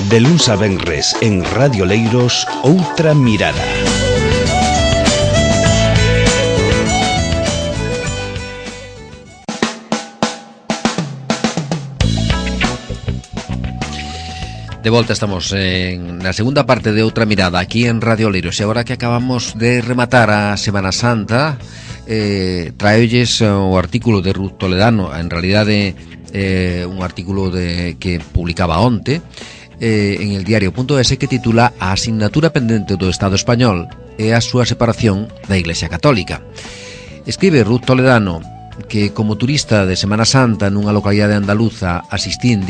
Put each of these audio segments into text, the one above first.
De luns a venres en Radio Leiros, Outra Mirada. De volta estamos na segunda parte de Outra Mirada aquí en Radio Leiros. E agora que acabamos de rematar a Semana Santa, traolles o artículo de Ruth Toledano, en realidade un artículo que publicaba onte en el diario.es, que titula A asignatura pendente do Estado español e a súa separación da Iglesia Católica. Escribe Ruth Toledano que como turista de Semana Santa nunha localidade andaluza asistín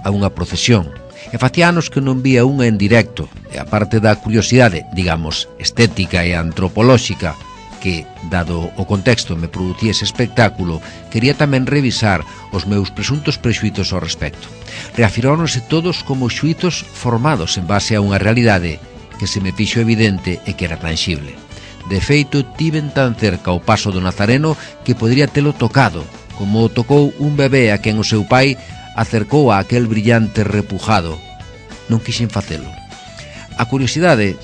a unha procesión e facía anos que non vía unha en directo, e aparte da curiosidade, digamos, estética e antropolóxica que, dado o contexto, me producía ese espectáculo, quería tamén revisar os meus presuntos prexuizos ao respecto. Reafirmáronse todos como xuizos formados en base a unha realidade que se me fixo evidente e que era tangible. De feito, tiven tan cerca o paso do Nazareno que podría telo tocado, como tocou un bebé a quen o seu pai acercou a aquel brillante repujado. Non quixen facelo. A curiosidade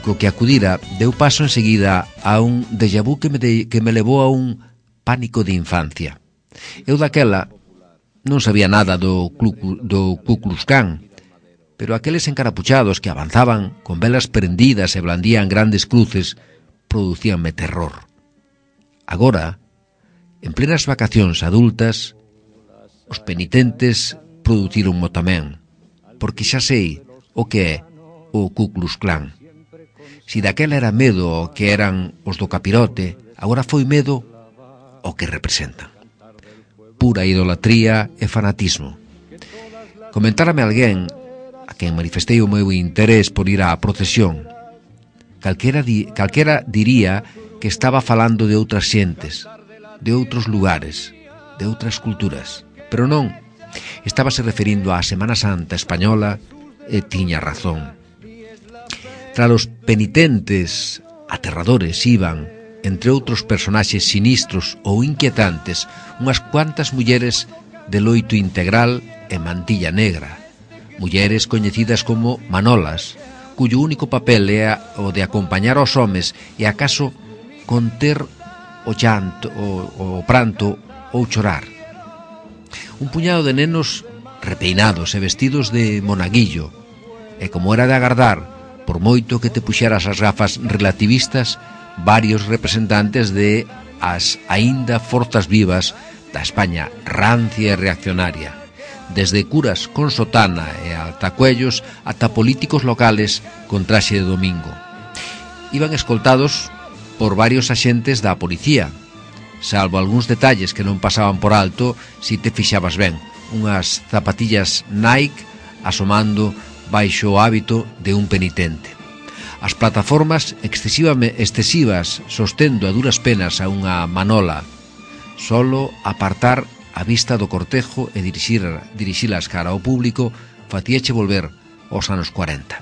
co que acudira deu paso enseguida a un déjà vu que me levou a un pánico de infancia. Eu daquela non sabía nada do Ku Klux Klan, pero aqueles encarapuchados que avanzaban con velas prendidas e blandían grandes cruces producíanme terror. Agora, en plenas vacacións adultas, os penitentes producironmo tamén, porque xa sei o que é o Ku Klux Klan. Si daquela era medo ao que eran os do capirote, agora foi medo ao que representan. Pura idolatría e fanatismo. Comentárame alguén a quen manifestei o meu interés por ir á procesión. Calquera diría que estaba falando de outras xentes, de outros lugares, de outras culturas. Pero non, estábase referindo á Semana Santa española e tiña razón. Tras os penitentes aterradores iban, entre outros personaxes sinistros ou inquietantes, unhas cuantas mulleres de loito integral e mantilla negra, mulleres coñecidas como manolas, cuyo único papel é o de acompañar aos homes e acaso conter o llanto, o pranto ou chorar. Un puñado de nenos repeinados e vestidos de monaguillo, e como era de agardar, por moito que te puxeras as gafas relativistas, varios representantes de as aínda forzas vivas da España rancia e reaccionaria, desde curas con sotana e altacuellos ata políticos locales con traxe de domingo. Iban escoltados por varios axentes da policía, salvo algúns detalles que non pasaban por alto si te fixabas ben, unhas zapatillas Nike asomando baixo o hábito de un penitente. As plataformas excesivas sostendo a duras penas a unha manola, solo apartar a vista do cortejo e dirixilas cara ao público facíache volver aos anos 40.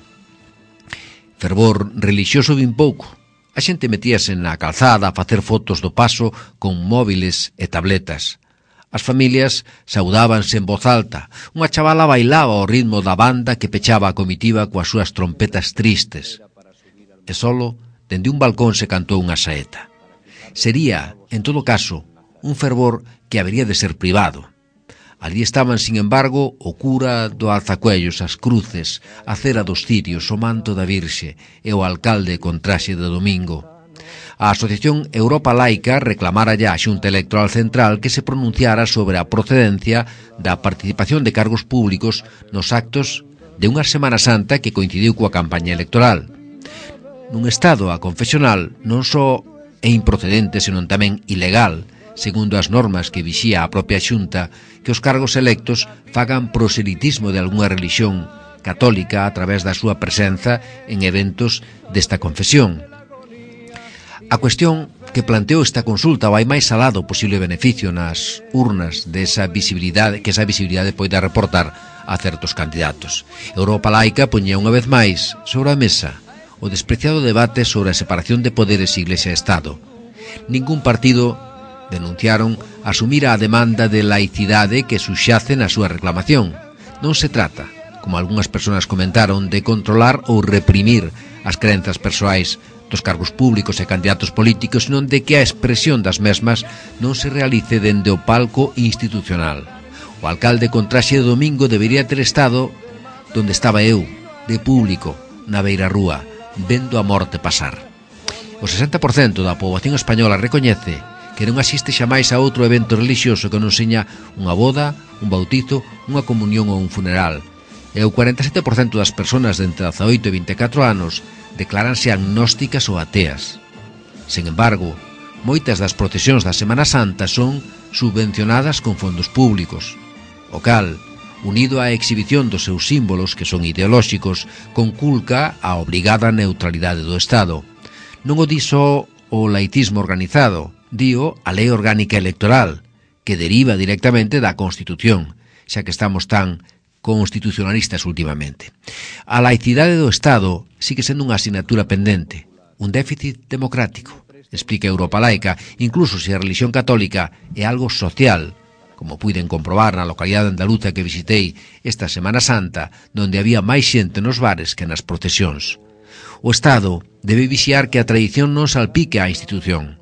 Fervor relixioso vin pouco. A xente metíase na calzada a facer fotos do paso con móviles e tabletas. As familias saudábanse en voz alta. Unha chavala bailaba ao ritmo da banda que pechaba a comitiva coas súas trompetas tristes. E solo, dende un balcón se cantou unha saeta. Sería, en todo caso, un fervor que habería de ser privado. Allí estaban, sin embargo, o cura do alzacuellos, as cruces, a cera dos cirios, o manto da Virxe e o alcalde con traxe de domingo. A Asociación Europa Laica reclamara ya a Xunta Electoral Central que se pronunciara sobre a procedencia da participación de cargos públicos nos actos de unha Semana Santa que coincidiu coa campaña electoral. Nun estado aconfesional non só é improcedente, senón tamén ilegal, segundo as normas que vixía a propia Xunta, que os cargos electos fagan proselitismo de algunha religión católica a través da súa presenza en eventos desta confesión. A cuestión que planteou esta consulta vai máis alá do posible beneficio nas urnas desa visibilidade que esa visibilidade poida reportar a certos candidatos. Europa Laica poñía unha vez máis sobre a mesa o despreciado debate sobre a separación de poderes Iglesia e Estado. Ningún partido, denunciaron, asumir a demanda de laicidade que subxace na súa reclamación. Non se trata, como algunhas persoas comentaron, de controlar ou reprimir as crenzas persoais dos cargos públicos e candidatos políticos, non de que a expresión das mesmas non se realice dende o palco institucional. O alcalde con traxe de domingo debería ter estado donde estaba eu, de público, na beira rúa, vendo a morte pasar. O 60% da poboación española recoñece que non asiste xamais a outro evento religioso que non seña unha boda, un bautizo, unha comunión ou un funeral. E o 47% das persoas de entre 18 e 24 anos decláranse agnósticas ou ateas. Sen embargo, moitas das procesións da Semana Santa son subvencionadas con fondos públicos, o cal, unido á exhibición dos seus símbolos, que son ideolóxicos, conculca a obrigada neutralidade do Estado. Non o diso o laicismo organizado, dío a Lei Orgánica Electoral, que deriva directamente da Constitución, xa que estamos tan constitucionalistas últimamente. A laicidade do Estado sigue sendo unha asignatura pendente, un déficit democrático, explica Europa Laica, incluso se a religión católica é algo social, como puiden comprobar na localidade andaluza que visitei esta Semana Santa, donde había máis xente nos bares que nas procesións. O Estado debe vixiar que a tradición non salpique a institución.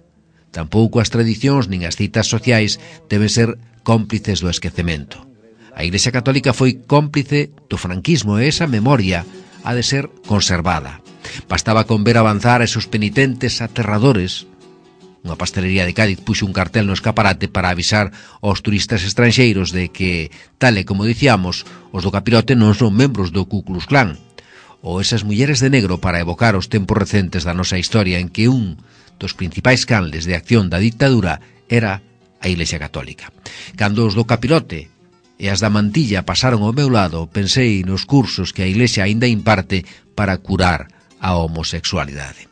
Tampouco as tradicións nin as citas sociais deben ser cómplices do esquecemento. A Iglesia Católica foi cómplice do franquismo e esa memoria ha de ser conservada. Bastaba con ver avanzar a esos penitentes aterradores. Unha pastelería de Cádiz puxo un cartel no escaparate para avisar aos turistas estranxeiros de que, tal e como dicíamos, os do capirote non son membros do Ku Klux Klan, ou esas mulleres de negro para evocar os tempos recentes da nosa historia en que un dos principais canles de acción da dictadura era a Iglesia Católica. Cando os do capirote e as da mantilla pasaron ao meu lado, pensei nos cursos que a Iglesia aínda imparte para curar a homosexualidade.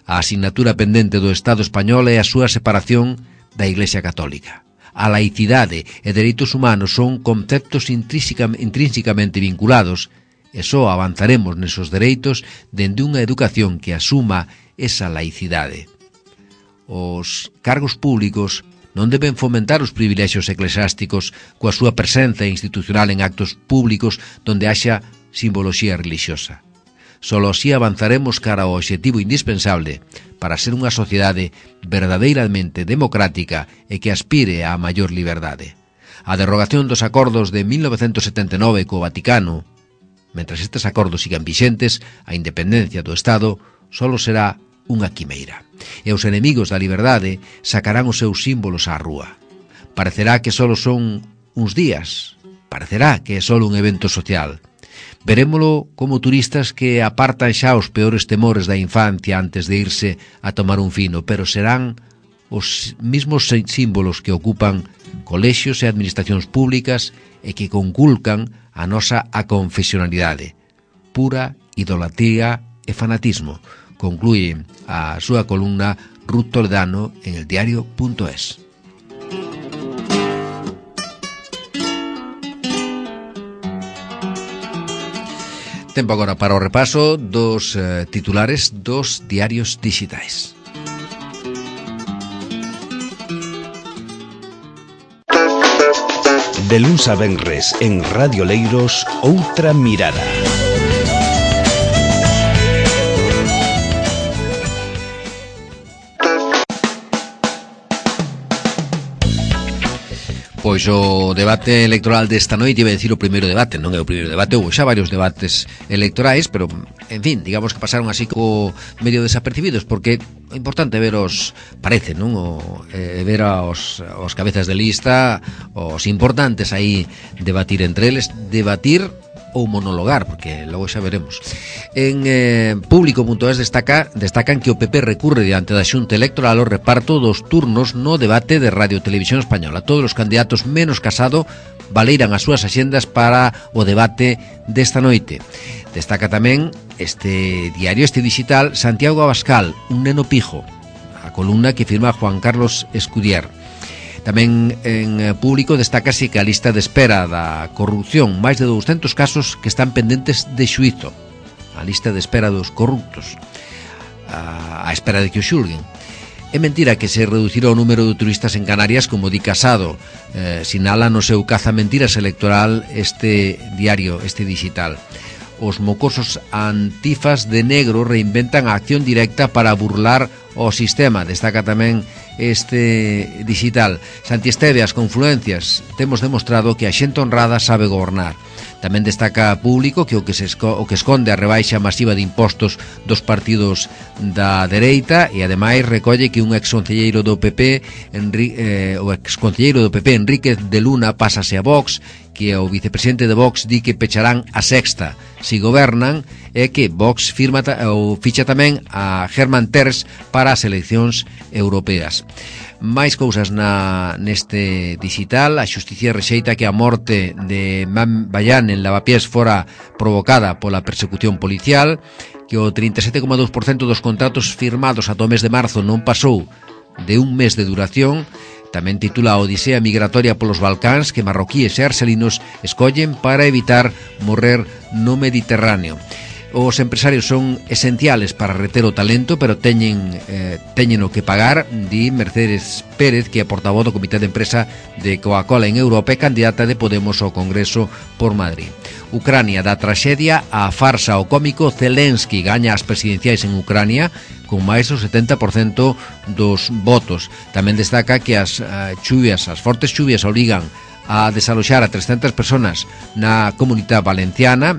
A asignatura pendente do Estado español é a súa separación da Iglesia Católica. A laicidade e dereitos humanos son conceptos intrínsecamente vinculados e só avanzaremos nesos dereitos dende unha educación que asuma esa laicidade. Os cargos públicos non deben fomentar os privilexios eclesiásticos coa súa presenza institucional en actos públicos donde haxa simboloxía religiosa. Solo así avanzaremos cara ao obxectivo indispensable para ser unha sociedade verdadeiramente democrática e que aspire á maior liberdade. A derrogación dos acordos de 1979 co Vaticano, mentras estes acordos sigan vixentes, a independencia do Estado solo será unha quimeira. E os enemigos da liberdade sacarán os seus símbolos á rúa. Parecerá que solo son uns días, parecerá que é solo un evento social. Verémolo como turistas que apartan xa os peores temores da infancia antes de irse a tomar un fino, pero serán os mismos símbolos que ocupan colexios e administracións públicas e que conculcan a nosa aconfesionalidade, pura idolatría e fanatismo, concluye a súa columna Ruth Toledano en el diario.es. Tempo agora para o repaso dos titulares dos diarios digitais. De luns a venres en Radio Leiros, Outra Mirada. Pois o debate electoral desta noite, iba a decir o primeiro debate, non é o primeiro debate, houve xa varios debates electorais, pero, en fin, digamos que pasaron así co medio desapercibidos, porque é importante ver os, parece, non? Ver os cabezas de lista, os importantes aí, debatir entre eles, debatir ou monologar, porque logo xa veremos. En Público.es destacan que o PP recurre diante da Xunta Electoral o reparto dos turnos no debate de Radio Televisión Española. Todos os candidatos menos Casado valeiran as súas axendas para o debate desta noite. Destaca tamén este diario, este digital, Santiago Abascal, un neno pijo, a columna que firma Juan Carlos Escudier. Tamén en Público destácase que a lista de espera da corrupción, máis de 200 casos que están pendentes de xuízo. A lista de espera dos corruptos, a espera de que o xulguen. É mentira que se reducirá o número de turistas en Canarias, como di Casado. Sinala no seu cazamentiras electoral este diario, este digital. Os mocosos antifas de negro reinventan a acción directa para burlar o sistema. Destaca tamén este digital. Santi Esteve, as confluencias. Temos demostrado que a xente honrada sabe gobernar. Tamén destaca Público que o que esconde a rebaixa masiva de impostos dos partidos da dereita, e ademais recolle que un exconcelleiro do PP, Enríquez de Luna, pásase a Vox, que o vicepresidente de Vox di que pecharán a Sexta si gobernan, e que Vox ficha tamén a Germán Terz para as eleccións europeas. Máis cousas neste digital. A xusticia rexeita que a morte de Man Bayán en Lavapiés fora provocada pola persecución policial, que o 37,2% dos contratos firmados ata o mes de marzo non pasou de un mes de duración. Tamén titula a Odisea migratoria polos Balcáns que marroquíes e arxelinos escollen para evitar morrer no Mediterráneo. Os empresarios son esenciales para reter o talento, pero teñen o que pagar, di Mercedes Pérez, que é portavoz do Comité de Empresa de Coca-Cola en Europa e candidata de Podemos ao Congreso por Madrid. Ucrania da traxedia á farsa. O cómico Zelensky gaña as presidenciais en Ucrania con máis do 70% dos votos. Tamén destaca que as fortes chuvias obrigan a desaloxar a 300 personas na Comunidade Valenciana,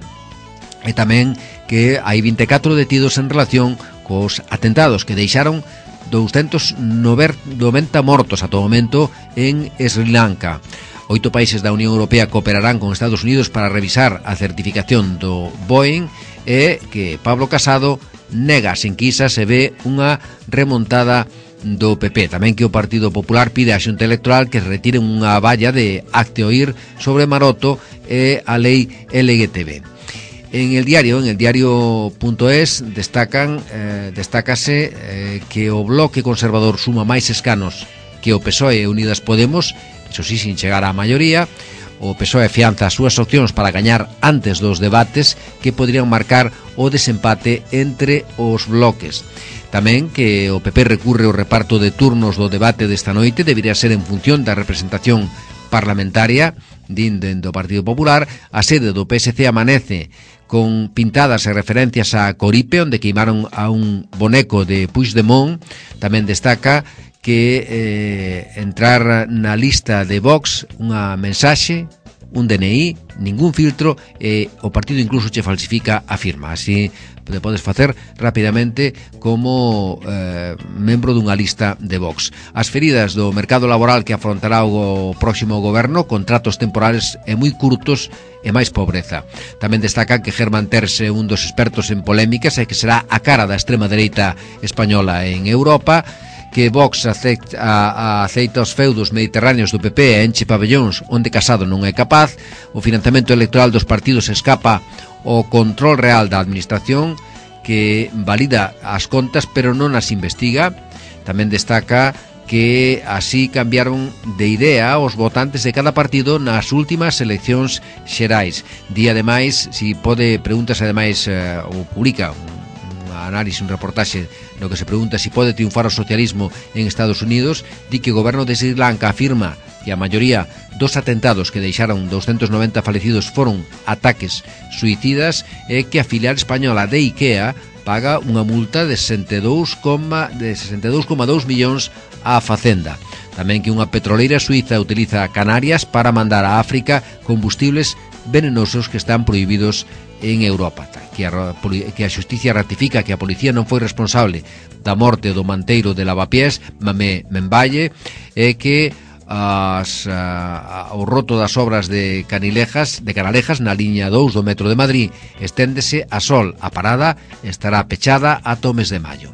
e tamén que hai 24 detidos en relación cos atentados que deixaron 290 mortos ata o momento en Sri Lanka. 8 países da Unión Europea cooperarán con Estados Unidos para revisar a certificación do Boeing, e que Pablo Casado nega sen quisa se ve unha remontada do PP. Tamén que o Partido Popular pide á Xunta Electoral que retiren unha valla de acte oír sobre Maroto e a lei LGTB. En el diario.es destácase que o bloque conservador suma máis escanos que o PSOE e Unidas Podemos, iso sí, sin chegar á maioría. O PSOE afianza as súas opcións para gañar antes dos debates que poderían marcar o desempate entre os bloques. Tamén que o PP recurre ao reparto de turnos do debate desta noite, debería ser en función da representación parlamentaria do Partido Popular. A sede do PSC amanece con pintadas e referencias a Coripe, onde queimaron a un boneco de Puigdemont. Tamén destaca que entrar na lista de Vox unha mensaxe, un DNI, ningún filtro, e o partido incluso che falsifica a firma. Así te podes facer rapidamente como membro dunha lista de Vox. As feridas do mercado laboral que afrontará o próximo goberno, contratos temporales e moi curtos e máis pobreza. Tamén destaca que Germán Terz é un dos expertos en polémicas e que será a cara da extrema dereita española en Europa, que Vox aceita os feudos mediterráneos do PP e enche pabellóns onde Casado non é capaz. O financiamento electoral dos partidos escapa o control real da administración, que valida as contas pero non as investiga. Tamén destaca que así cambiaron de idea os votantes de cada partido nas últimas eleccións xerais. Di ademais, preguntas ademais, ou publica un análise, un reportaxe no que se pregunta si pode triunfar o socialismo en Estados Unidos. Di que o goberno de Sri Lanka afirma que a maioría dos atentados que deixaron 290 falecidos foron ataques suicidas, e que a filial española de IKEA paga unha multa de 62,2 millóns á Facenda. Tamén que unha petroleira suiza utiliza Canarias para mandar a África combustibles venenosos que están prohibidos en Europa. Que a xusticia ratifica que a policía non foi responsable da morte do manteiro de Lavapiés, Mamé Memballe, e que o roto das obras de Canalejas na liña 2 do metro de Madrid esténdese a Sol. A parada estará pechada ata o mes de maio.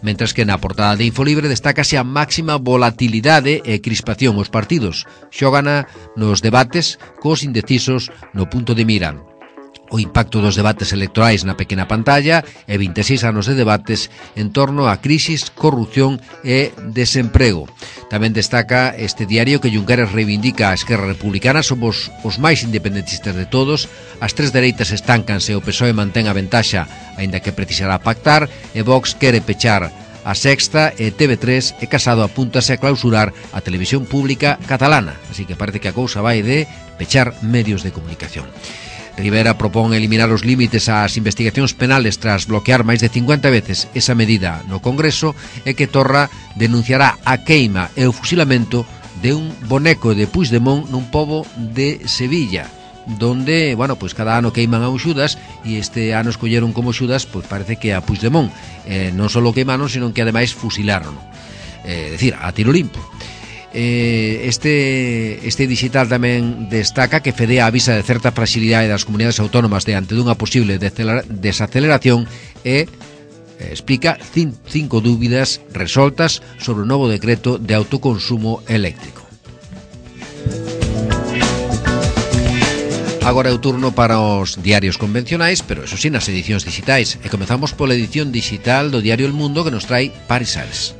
Mentras que na portada de Infolibre destácase a máxima volatilidade e crispación. Os partidos xogana nos debates cos indecisos no punto de mira. O impacto dos debates electorais na pequena pantalla e 26 anos de debates en torno a crisis, corrupción e desemprego. Tamén destaca este diario que Junqueras reivindica a Esquerra Republicana. Somos os máis independentistas de todos. As tres dereitas estáncanse, o PSOE mantén a ventaxa, aínda que precisará pactar, e Vox quere pechar a Sexta e TV3 e Casado apúntase a clausurar a televisión pública catalana, así que parece que a cousa vai de pechar medios de comunicación. Rivera propón eliminar os límites ás investigacións penales tras bloquear máis de 50 veces esa medida no Congreso e que Torra denunciará a queima e o fusilamento de un boneco de Puigdemont nun pobo de Sevilla, donde, bueno, pues cada ano queiman a un Xudas e este ano escolleron como Xudas, pues parece que a Puigdemont non só queimaron, sino que ademais fusilaron, decir, a tiro limpo. Este digital tamén destaca que Fedea avisa de certa fragilidade das comunidades autónomas diante dunha posible desaceleración e explica 5 dúbidas resoltas sobre o novo decreto de autoconsumo eléctrico. Agora é o turno para os diarios convencionais, pero eso sí, nas edicións digitais. E comezamos pola edición digital do diario El Mundo, que nos trai Paris Sales.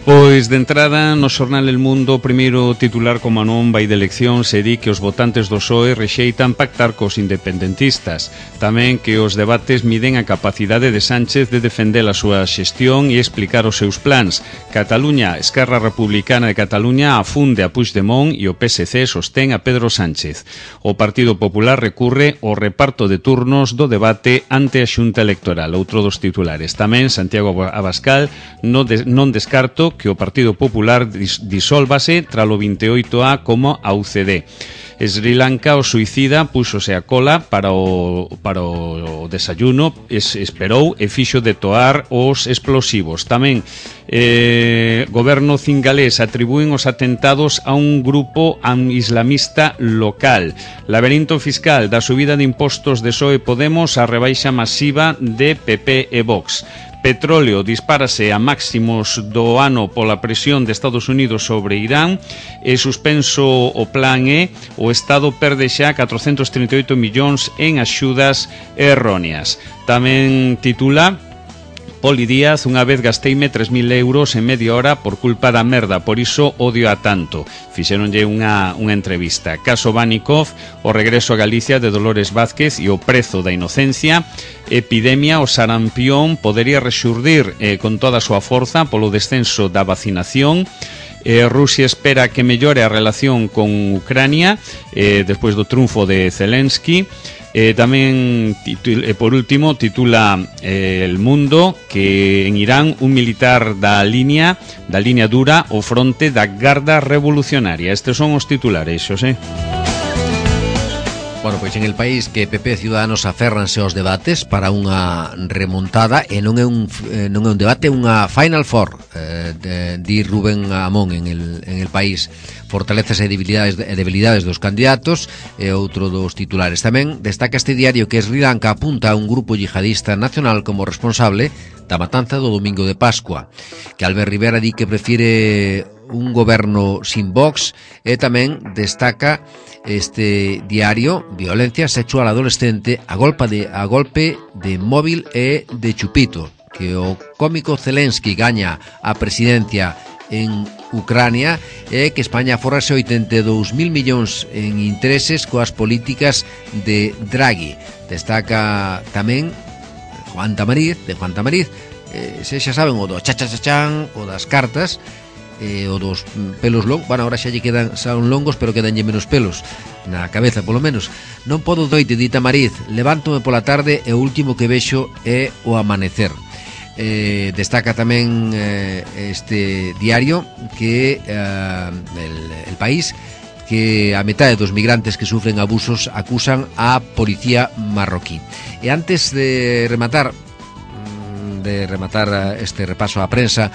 Pois de entrada no xornal El Mundo, o primeiro titular como non vai de elección se di que os votantes do PSOE rexeitan pactar cos independentistas. Tamén que os debates miden a capacidade de Sánchez de defender a súa xestión e explicar os seus plans. Cataluña, Esquerra Republicana de Cataluña afunde a Puigdemont e o PSC sostén a Pedro Sánchez. O Partido Popular recurre ao reparto de turnos do debate ante a Xunta Electoral. Outro dos titulares. Tamén Santiago Abascal non descarto que o Partido Popular disólvase tralo 28A como a UCD. Sri Lanka, o suicida, púxose a cola para o desayuno, esperou e fixo detoar os explosivos. Tamén goberno cingalés atribúen os atentados a un grupo islamista local. Laberinto fiscal da subida de impostos de PSOE e Podemos a rebaixa masiva de PP e Vox. Petróleo dispárase a máximos do ano pola presión de Estados Unidos sobre Irán e suspenso o plan E, o Estado perde xa 438 millóns en axudas erróneas. Tamén titula Poli Díaz, unha vez gasteime 3.000 euros en media hora por culpa da merda, por iso odio a tanto. Fixeronlle unha entrevista. Caso Banikov, o regreso a Galicia de Dolores Vázquez e o prezo da inocencia. Epidemia, o sarampión podería rexurdir con toda a súa forza polo descenso da vacinación. Rusia espera que mellore a relación con Ucrania despois do triunfo de Zelensky. Tamén, por último, titula El Mundo que en Irán un militar da línea dura o fronte da Garda Revolucionaria. Estes son os titulares, Xosé. Bueno, pois en El País que PP e Ciudadanos aférranse aos debates para unha remontada e non é un debate, é unha Final Four, di Rubén Amón en El País. Fortalezas e debilidades dos candidatos e outro dos titulares. Tamén destaca este diario que Sri Lanka apunta a un grupo yihadista nacional como responsable da matanza do domingo de Pascua, que Albert Rivera di que prefire un goberno sin Vox, e tamén destaca este diario violencia sexual adolescente a golpe de móvil e de chupito, que o cómico Zelensky gaña a presidencia en Ucrania e que España forrase 82.000 millóns en intereses coas políticas de Draghi. Destaca tamén Juan Tamariz, se xa saben, o do cha-cha-cha-chan, o das cartas, o dos pelos longos. Bueno, ahora xa lle son longos, pero quedanlle menos pelos na cabeza, polo menos. Non podo doite, di Tamariz, levántome pola tarde e o último que vexo é o amanecer. Destaca tamén este diario que el País que a metade dos migrantes que sufren abusos acusan a policía marroquí. E antes de rematar este repaso á prensa,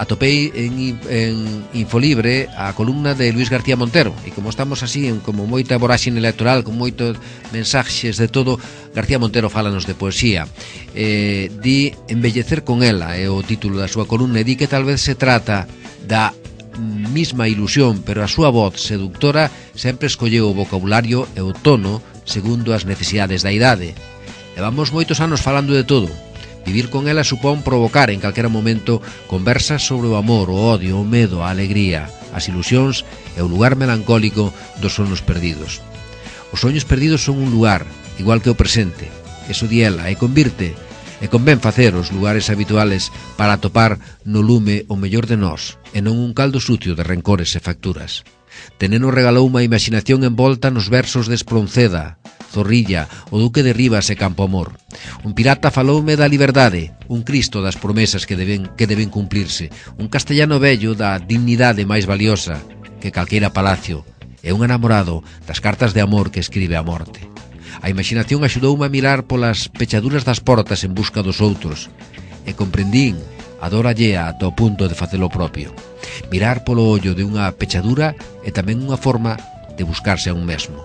atopei en Infolibre a columna de Luis García Montero, e como estamos así, como moita voráxine electoral, con moitos mensaxes de todo, García Montero fálanos de poesía. Di Embellecer con ela, é o título da súa columna, e di que tal vez se trata da mesma ilusión, pero a súa voz seductora sempre escolleu o vocabulario e o tono segundo as necesidades da idade. Levamos moitos anos falando de todo. Vivir con ela supón provocar en calquera momento conversas sobre o amor, o odio, o medo, a alegría, as ilusións e o lugar melancólico dos soños perdidos. Os soños perdidos son un lugar, igual que o presente. Eso di ela, e convirte E convén facer os lugares habituales para atopar no lume o mellor de nós, e non un caldo sucio de rencores e facturas. Teneno regalou unha imaginación envolta nos versos de Espronceda, Zorrilla, o Duque de Rivas e Campoamor. Un pirata faloume da liberdade, un Cristo das promesas que deben cumplirse, un castellano vello da dignidade máis valiosa que calqueira palacio, e un enamorado das cartas de amor que escribe a morte. A imaginación axudoume a mirar polas pechaduras das portas en busca dos outros, e comprendín a dor allea ata o punto de facelo propio. Mirar polo ollo de unha pechadura é tamén unha forma de buscarse a un mesmo.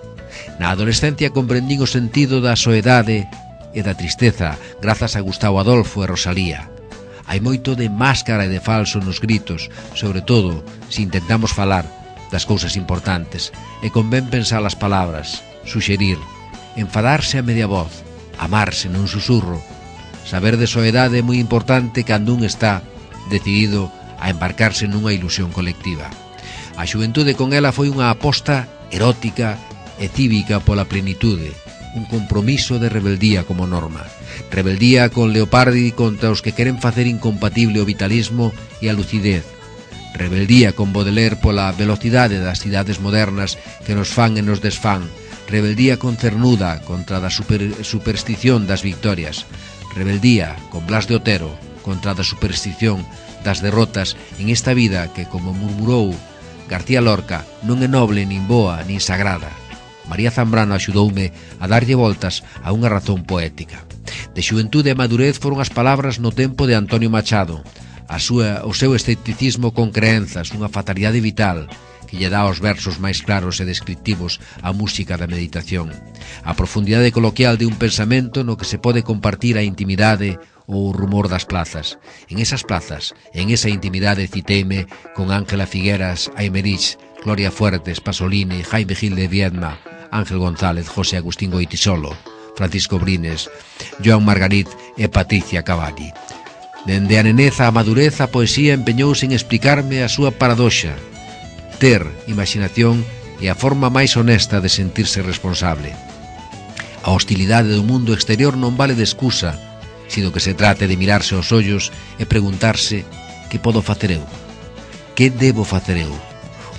Na adolescencia comprendín o sentido da soedade e da tristeza grazas a Gustavo Adolfo e Rosalía. Hai moito de máscara e de falso nos gritos, sobre todo se intentamos falar das cousas importantes, e convén pensar as palabras, suxerir, enfadarse a media voz, amarse nun susurro. Saber de soedade é moi importante cando un está decidido a embarcarse nunha ilusión colectiva. A xuventude con ela foi unha aposta erótica e cívica pola plenitude, un compromiso de rebeldía como norma. Rebeldía con Leopardi contra os que queren facer incompatible o vitalismo e a lucidez. Rebeldía con Baudelaire pola velocidade das cidades modernas que nos fan e nos desfán. Rebeldía con Cernuda contra a superstición das victorias. Rebeldía con Blas de Otero contra a superstición das derrotas en esta vida que, como murmurou García Lorca, non é noble, nin boa, nin sagrada. María Zambrano axudoume a darlle voltas a unha razón poética. De xuventude e madurez foron as palabras no tempo de Antonio Machado, o seu escepticismo con creenzas, unha fatalidade vital que lle dá os versos máis claros e descriptivos á música da meditación, a profundidade coloquial de un pensamento no que se pode compartir a intimidade ou o rumor das plazas. En esas plazas, en esa intimidade citeime con Ángela Figueras, Aymerich, Gloria Fuertes, Pasolini, Jaime Gil de Viedma, Ángel González, José Agustín Goitisolo, Francisco Brines, Joan Margarit e Patricia Cavalli. Dende a neneza a madurez, a poesía empeñouse en explicarme a súa paradoxa. Ter imaginación é a forma máis honesta de sentirse responsable. A hostilidade do mundo exterior non vale de excusa, sino que se trate de mirarse aos ollos e preguntarse que podo facer eu? Que debo facer eu?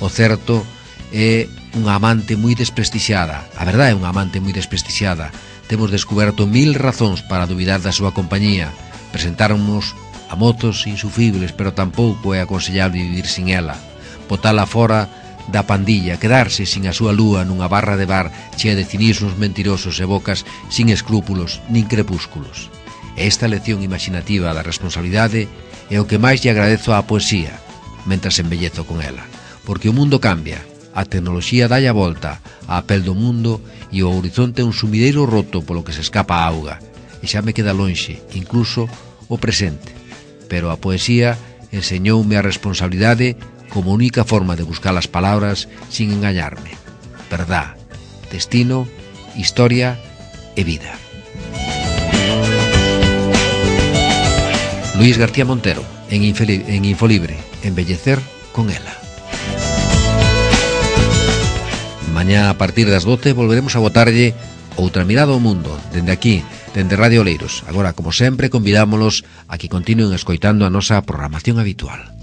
O certo é unha amante moi desprestixiada. A verdade é unha amante moi desprestixiada. Temos descoberto 1000 razóns para dubidar da súa compañía. Presentáramos a motos insufribles, pero tampouco é aconsellable vivir sin ela. Botala fora da pandilla, quedarse sin a súa lúa nunha barra de bar chea de cinismos mentirosos e bocas sin escrúpulos nin crepúsculos. Esta lección imaginativa da responsabilidade é o que máis lle agradezo á poesía, mentras embellezo con ela. Porque o mundo cambia, a tecnoloxía dalle a volta á pel do mundo e o horizonte é un sumideiro roto polo que se escapa a auga, e xa me queda lonxe, incluso o presente. Pero a poesía enseñoume a responsabilidade como única forma de buscar as palabras sin engañarme. Verdad, destino, historia e vida. Luis García Montero, en Infolibre, embellecer con ela. Mañá a partir das 12 volveremos a botarlle outra mirada ao mundo, dende aquí, dende Radio Oleiros. Agora, como sempre, convidámolos a que continúen escoitando a nosa programación habitual.